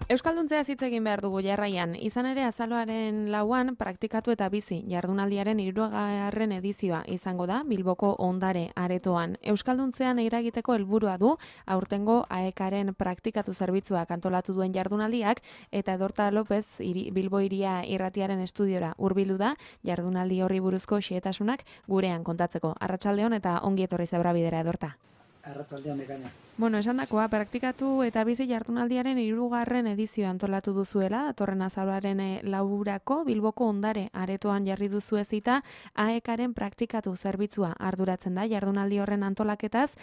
Euskalduntzea hitz egin behar dugu jarraian. Izan ere azaroaren 4 praktikatu eta bizi jardunaldiaren 3. edizioa izango da Bilboko Ondare Aretoan. Euskalduntzean eragiteko helburua du aurtengo AEKaren praktikatu zerbitzuak antolatu duen jardunaldiak eta Edorta López Bilbo Hiria Irratiaren estudiora hurbildu da jardunaldi horri buruzko xehetasunak gurean kontatzeko. Arratsaldeon eta ongi etorri Zebrabidera Edorta. Arratsaldeon Bekaina. Bueno, esandakoa, praktikatu eta bizi jardunaldiaren 3. edizioa antolatu duzuela, datorren azaroaren 4 Bilboko Ondare Aretoan jarri duzu ezita, AEKaren praktikatu zerbitzua arduratzen da jardunaldi horren antolaketaz,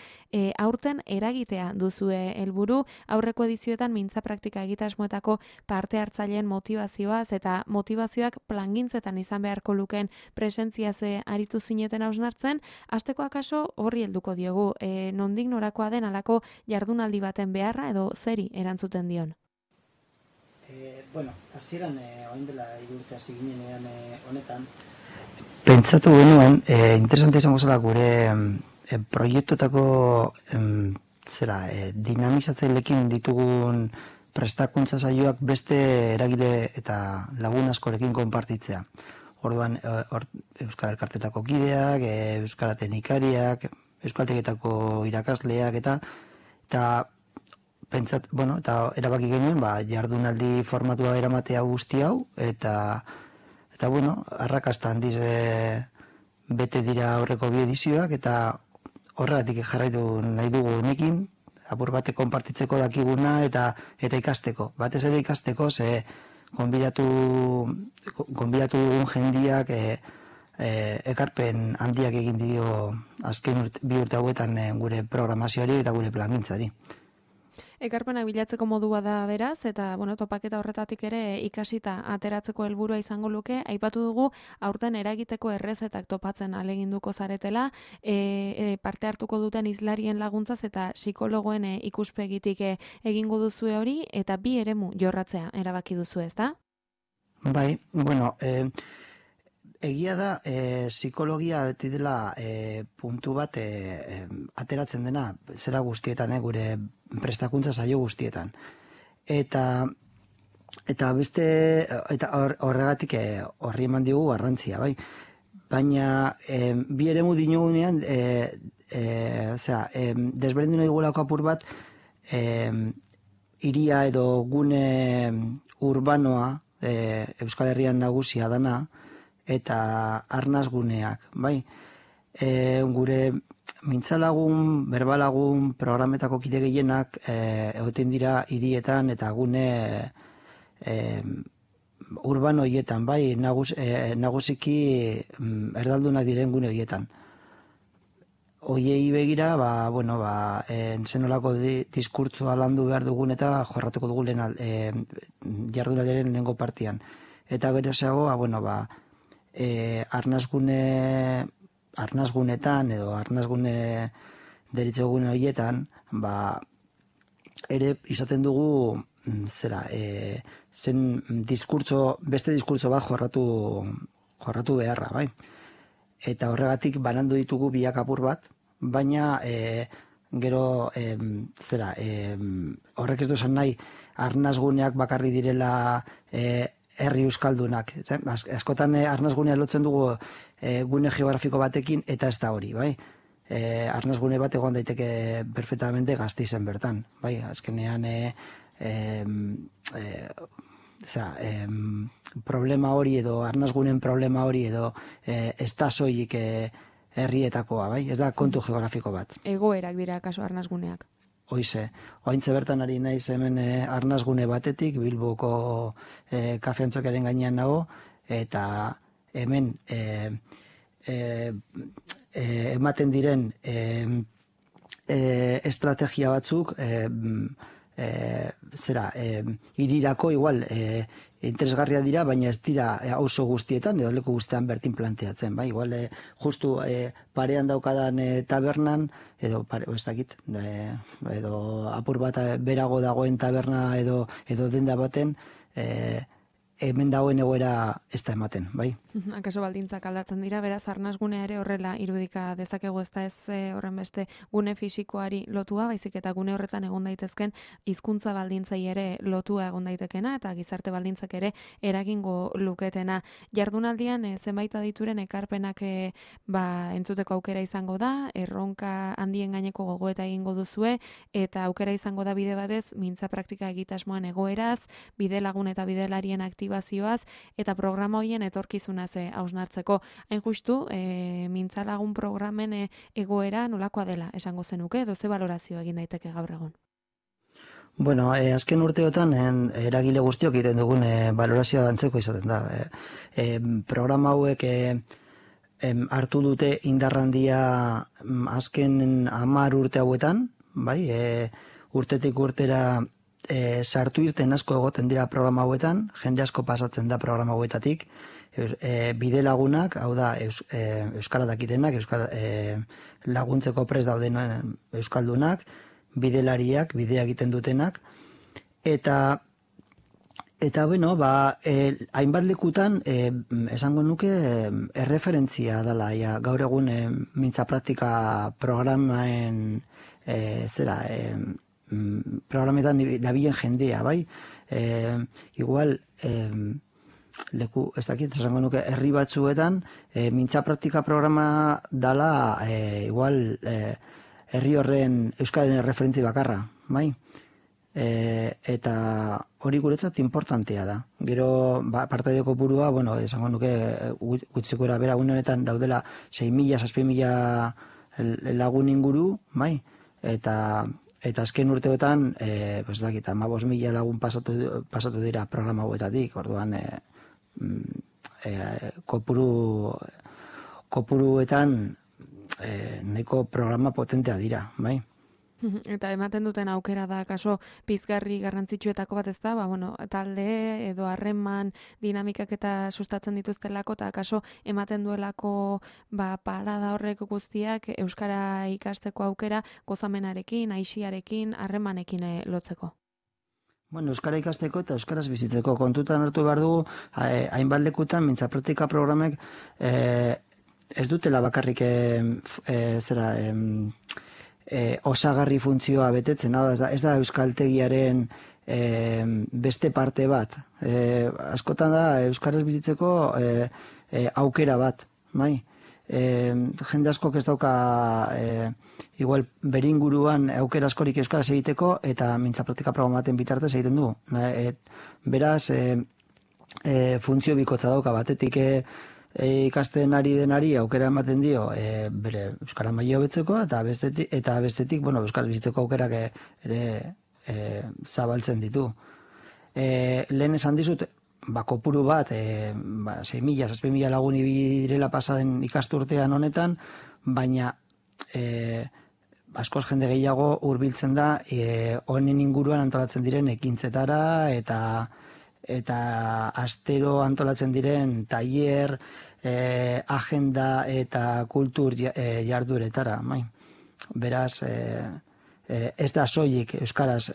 aurten eragitea duzue helburu, aurreko edizioetan mintza praktika egitasmoetako parte hartzaileen motivazioaz eta motivazioak plangintzetan izan beharko lukeen presentziaz aritu zineten hausnartzen, hasteko akaso horri helduko diogu, nondik norakoa den alako jardunaldi baten beharra edo zeri erantzuten dion? Hasieran orain dela 3 urte hasi ginenean honetan. Pentsatu genuen, interesante izango zela gure proiektuetako dinamizatzaileekin ditugun prestakuntza saioak beste eragile eta lagun askorekin konpartitzea. Orduan, Euskal Elkartetako kideak, Euskara teknikariak, euskaltegietako irakasleak eta erabaki genuen jardunaldi formatua eramatea guzti hau eta arrakasta handiz bete dira aurreko 2 edizioak eta horregatik jarraitu nahi dugu honekin apur bate konpartitzeko dakiguna eta ikasteko. Batez ere ikasteko ze gonbidatu dugun jendiak ekarpen handiak egin dio azken 2 urte hauetan gure programazioari eta gure plangintzari. Ekarpenak bilatzeko modua da beraz, eta topaketa horretatik ere ikasita ateratzeko helburua izango luke, aipatu dugu aurten eragiteko errezetak topatzen ahaleginduko zaretela, parte hartuko duten hizlarien laguntzaz eta psikologoen ikuspegitik egingo duzue hori, eta 2 eremu jorratzea erabaki duzu, ezta? Bai, egia da, psikologia beti dela puntu bat ateratzen dena zera guztietan, gure prestakuntza saio guztietan. Eta horregatik horri eman diogu garrantzia, bai. Baina 2 eremu dinogunean, desberdindu nahi dugulako apur bat, hiria edo gune urbanoa, Euskal Herrian nagusia dana, eta arnazguneak, bai. Gure mintzalagun, berbalagun, programetako kide gehienak egoten dira hirietan eta gune urbano horietan, bai, nagusiki erdaldunak diren gune horietan. Hoiei begira, zenolako diskurtsoa landu behar dugun eta jorratuko dugu jardunaldiaren lehenengo partian. Eta gero zeago, arnazgunetan edo arnazgune deritzogun horietan, ere izaten dugu beste diskurtso bat jorratu beharra, bai. Eta horregatik banandu ditugu biak apur bat, baina gero horrek ez duzan nahi arnazguneak bakarri direla herri euskaldunak. Askotan arnazgunea lotzen dugu gune geografiko batekin eta ez da hori, bai. Arnazgune bat egon daiteke perfectamente Gasteizen bertan, bai. Azkenean problema hori edo arnazgunen problema hori edo ez da soilik herrietakoa, bai. Ez da kontu geografiko bat. Egoerak dira kaso arnazguneak. Hoize, oaintze bertan ari naiz hemen arnazgune batetik, Bilboko kafeantzokaren gainean nago, eta hemen ematen diren estrategia batzuk hirirako igual interesgarria dira, baina ez dira auzo guztietan edo leku guztietan bertin planteatzen, bai, igual justu parean daukadan tabernan edo ez dakit, edo apur bat berago dagoen taberna edo denda baten hemen dagoen egoera ez da ematen, bai? Akaso baldintzak aldatzen dira, beraz, arnasgunea ere horrela irudika dezakegu, ez da ez horren beste gune fisikoari lotua, baizik eta gune horretan egon daitezken hizkuntza baldintzai ere lotua egon daitekena, eta gizarte baldintzak ere eragingo luketena. Jardunaldian zenbait adituren ekarpenak entzuteko aukera izango da, erronka handien gaineko gogoeta egingo duzue, eta aukera izango da bide batez, mintza praktika egitasmoan egoeraz, bide lagun eta bidelarien aktibazioaz, eta programa horien etorkizunaz hausnartzeko. Hain justu, mintza lagun programen egoera nolakoa dela esango zenuke, edo ze balorazio egin daiteke gaur egun? Bueno, azken urteotan eragile guztiok egiten dugun balorazioa antzeko izaten da. Programa hauek hartu dute indarrandia azken 10 urte hauetan, bai, urtetik urtera sartu irten asko egoten dira programa hauetan, jende asko pasatzen da programa hauetatik, bide lagunak, hau da, euskara dakitenak, laguntzeko prest dauden euskaldunak, bidelariak, bidea egiten dutenak, eta bueno, hainbat lekutan, esango nuke, erreferentzia dela, gaur egun mintza praktika programaen, programetan dabilen jendea, bai? Igual, leku, ez dakit, esango nuke, herri batzuetan, mintza praktika programa dala, igual, herri horren euskaren referentzi bakarra, bai? Eta hori guretzat importantea da. Gero, partaide kopurua, bueno, esango nuke, gutxiko bera honetan daudela 6.000, 7.000 lagun inguru, bai? Eta azken urteotan, ez dakit, 15.000 lagun pasatu dira programa hauetatik, orduan, kopuruetan nahiko programa potentea dira, bai? Eta ematen duten aukera da, kaso pizgarri garrantzitsuetako bat ez da, talde edo harreman dinamikak eta sustatzen dituztelako, eta kaso ematen duelako parada horrek guztiak euskara ikasteko aukera gozamenarekin, aixiarekin, harremanekin lotzeko. Bueno, euskara ikasteko eta euskaraz bizitzeko kontutan hartu behar dugu, hainbat lekutan mintza praktika programek ez dutela bakarrik osagarri funtzioa betetzen, ez da euskaltegiaren beste parte bat. Askotan da euskaraz bizitzeko aukera bat, bai? Jende askok ez dauka igual beringuruan aukera askorik euskaraz egiteko eta mintza praktika programaten bitartez egiten du. Beraz, funtzio bikotza dauka batetik ikasten ari denari aukera ematen dio bere euskara maila hobetzeko eta bestetik, bueno, euskaraz bizitzeko aukerak ere zabaltzen ditu. Lehen esan dizut, kopuru bat, 6.000, 7.000 lagun direla pasaden ikasturtean honetan, baina askoz jende gehiago hurbiltzen da honen inguruan antolatzen diren ekintzetara eta astero antolatzen diren tailer, agenda eta kultur jardueretara. Beraz, ez da soilik euskaraz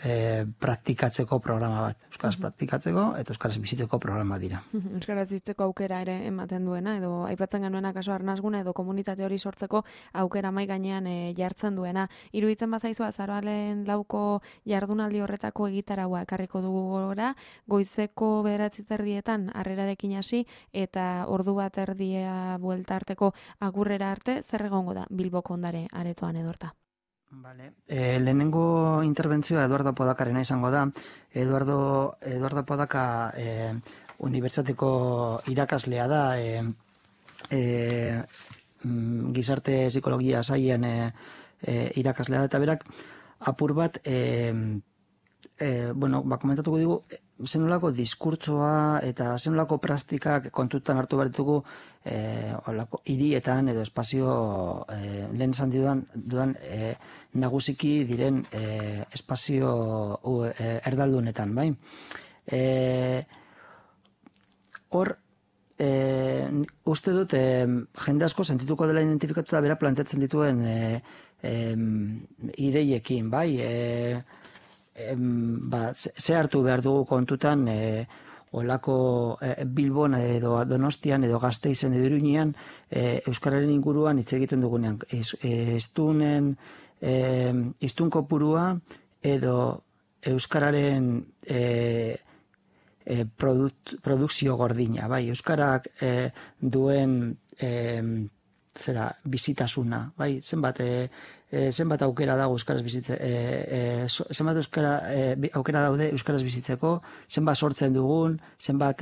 praktikatzeko programa bat. Euskaraz praktikatzeko eta euskaraz bizitzeko programa dira. Euskaraz bizitzeko aukera ere ematen duena, edo aipatzen genuena kaso arnasguna edo komunitate hori sortzeko aukera mai gainean jartzen duena. Iruditzen bazaizu azaroaren 4ko jardunaldi horretako egitaraua ekarriko dugu gora, goizeko 9:30 harrerarekin hasi eta 1:30 buelta arteko agurrera arte, zer egongo da Bilboko Ondare aretoan edorta? Vale. Lehenengo interbentzioa Eduardo Podakarena izango da. Eduardo Podaka unibertsitateko irakaslea da, gizarte psikologia sailen irakaslea da, eta berak apur bat komentatuko digu zenolako diskurtsoa eta zenolako praktikak kontutan hartu behar ditugu hirietan edo espazio lehen esan dudan nagusiki diren espazio erdaldunetan, bai? Hor, uste dut jende asko sentituko dela identifikatuta bera planteatzen dituen ideiekin, bai? Ze hartu behar dugu kontutan olako Bilbon edo Donostian edo Gasteizen edo Iruñean euskararen inguruan hitz egiten dugunean. Hiztun kopurua edo euskararen produkzio gordina, bai, euskarak duen bizitasuna, bai, zenbat aukera dago euskaraz zenbat aukera daude euskaraz bizitzeko, zenbat sortzen dugun, zenbat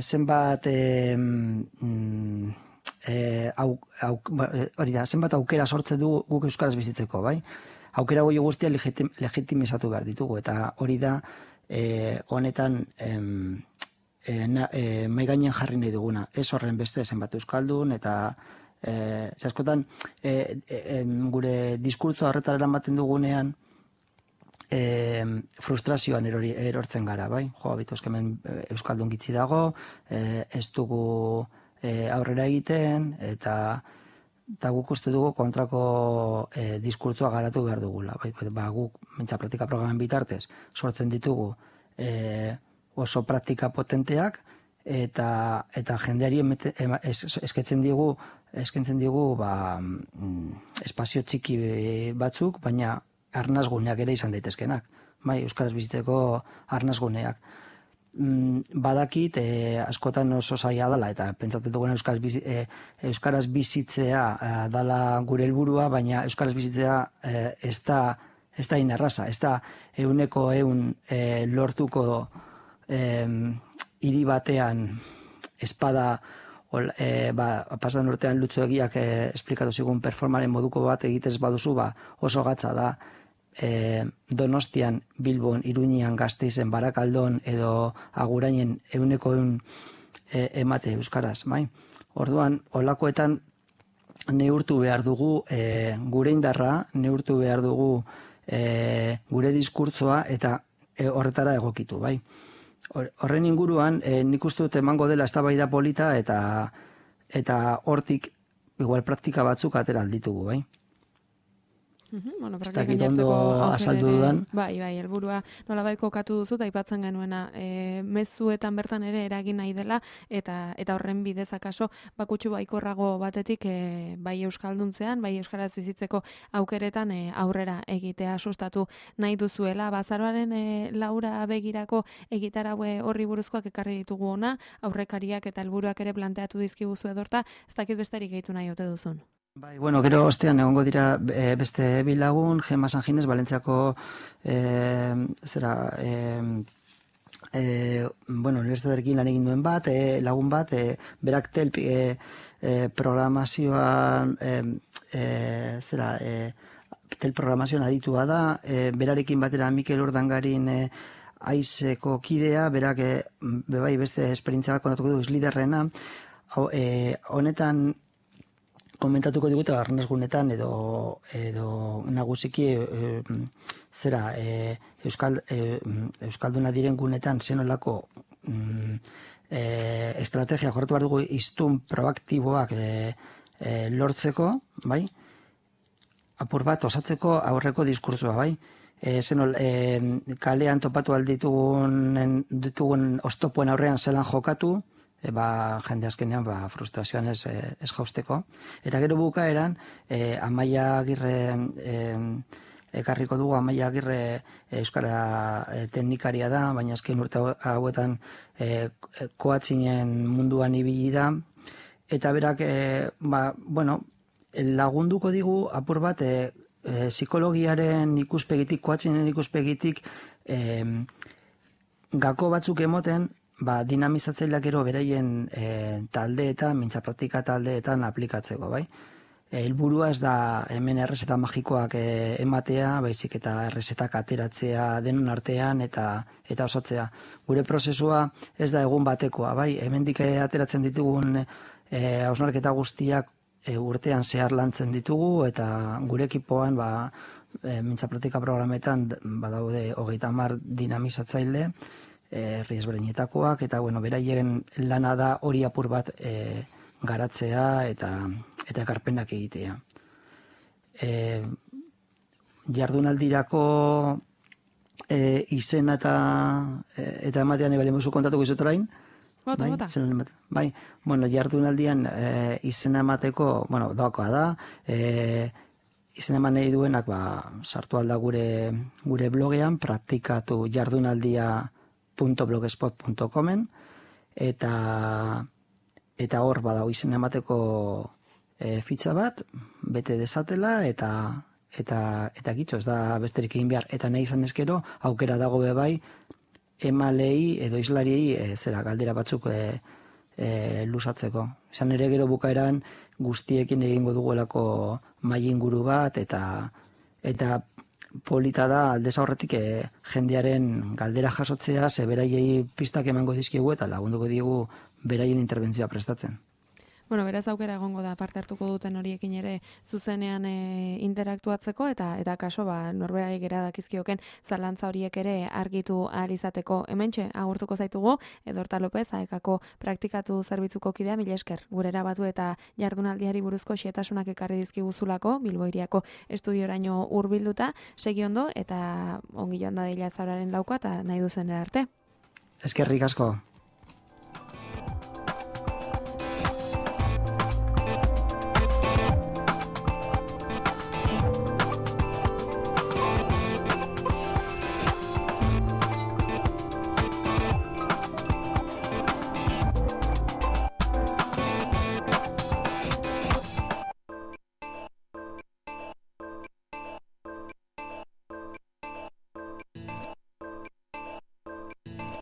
zenbat aukera sortzen dugu guk euskaraz bizitzeko, bai? Aukera goi guztia legitimizatu behar ditugu, eta hori da honetan mai gainen jarri nahi duguna. Ez horren beste zenbat euskaldun, eta askotan gure diskurtsoa horretara eramaten dugunean frustrazioan erortzen gara, bai? Hemen euskaldun gitzi dago, ez dugu aurrera egiten, eta guk uste dugu kontrako diskurtsoa garatu behar dugula. Guk mintza praktika programen bitartez sortzen ditugu oso praktika potenteak, eta jendeari eskaintzen digu espazio txiki batzuk, baina arnasguneak ere izan daitezkenak. Euskaraz bizitzeko arnasguneak. Badakit askotan oso zaila dela, eta pentsatzen dugun euskaraz bizitzea dela gure helburua, baina euskaraz bizitzea ez da inerraza, ez da 100% lortuko hiri batean espada pasan urtean Lutzu Egiak esplikatu zigun performaren moduko bat egitez baduzu, oso gatza da Donostian, Bilbon, Iruñean, Gasteizen, Barakaldon edo Agurainen 100% emate euskaraz, bai? Orduan, holakoetan neurtu behar dugu gure indarra, neurtu behar dugu gure diskurtsoa, eta horretara egokitu, bai? Horren inguruan, nik uste dut emango dela eztabaida polita, eta hortik igual praktika batzuk atera alditugu, bai? Bueno, ez dakit ondo azaldu dudan. Bai, helburua nolabait kokatu duzu, eta aipatzen genuena mezuetan bertan ere eragin nahi dela, eta horren bidez akaso bakutsu baikorrago batetik bai euskalduntzean, bai euskaraz bizitzeko aukeretan aurrera egitea sustatu nahi duzuela. Azaroaren laura begirako egitaraue horri buruzkoak ekarri ditugu ona, aurrekariak eta helburuak ere planteatu dizkiguzu edorta, ez dakit besterik gehitu nahi ote duzun. Bai, bueno, gero ostean egongo dira beste bilagun, Gemma Sanjines, Valentziako unibertsitatearekin lan egin duen bat, lagun bat, berak telp programazioan telprogramazioan aditua da, berarekin batera Mikel Urdangarin aizeko kidea, berak bebai beste esperientzia kontatuko du izliderrena, honetan komentatuko digute arnasgunetan edo nagusiki euskalduna diren gunetan zenolako estrategia jorratu behar dugu hiztun proaktiboak lortzeko, bai? Apur bat osatzeko aurreko diskursoa, bai? Kalean topatu alditugun oztopoen aurrean zelan jokatu, jende azkenean frustrazioan ez jausteko. Eta gero bukaeran, Amaia Agirre ekarriko dugu, Amaia Agirre euskara teknikaria da, baina azken urte hauetan koatzinen munduan ibili da, eta berak lagunduko digu apur bat psikologiaren ikuspegitik, koatzinen ikuspegitik gako batzuk emoten, dinamizatzaileak gero beraien taldeetan, mintza praktika taldeetan aplikatzeko, bai? Helburua ez da hemen errezeta magikoak ematea, baizik eta errezetak ateratzea denon artean eta osatzea. Gure prozesua ez da egun batekoa, bai? Hemendik ateratzen ditugun hausnarketa guztiak urtean zehar lantzen ditugu, eta gure ekipoan mintza praktika programetan badaude 30 dinamizatzaile, herri ezberdinetakoak, eta beraien lana da hori apur bat garatzea eta ekarpenak egitea. Jardunaldirako izena eta ematean ebali musu kontatuko izut orain. Bota, bota. Bai, bueno, jardunaldian izena emateko, bueno, doakoa da, izena eman nahi duenak, sartu alda gure blogean, praktikatu jardunaldia.blogspot.comen, eta hor badago izena emateko fitxa bat, bete desatela, eta gitxo, ez da besterik egin behar, eta nahi izan ezkero, aukera dago bebai, emalei edo islariei galdera batzuk lusatzeko. Izan ere gero bukaeran guztiekin egingo duguelako mahai inguru bat, eta polita da aldez aurretik jendearen galdera jasotzea, ze beraiei pistak emango dizkigu eta lagunduko diegu beraien interbentzioa prestatzen. Bueno, beraz aukera egongo da parte hartuko duten horiekin ere zuzenean interaktuatzeko eta kaso norberari gera dakizkioken zalantza horiek ere argitu ahal izateko. Hementxe agurtuko zaitugu Edorta Lopez, AEKako praktikatu zerbitzuko kidea, mila esker. Gurera batu eta jardunaldiari buruzko xehetasunak ekarri dizkiguzulako Bilbo Hiriako estudioraino hurbilduta, segi ondo eta ongi joan da Zauraren laukoa eta nahi duzen arte. Eskerrik asko.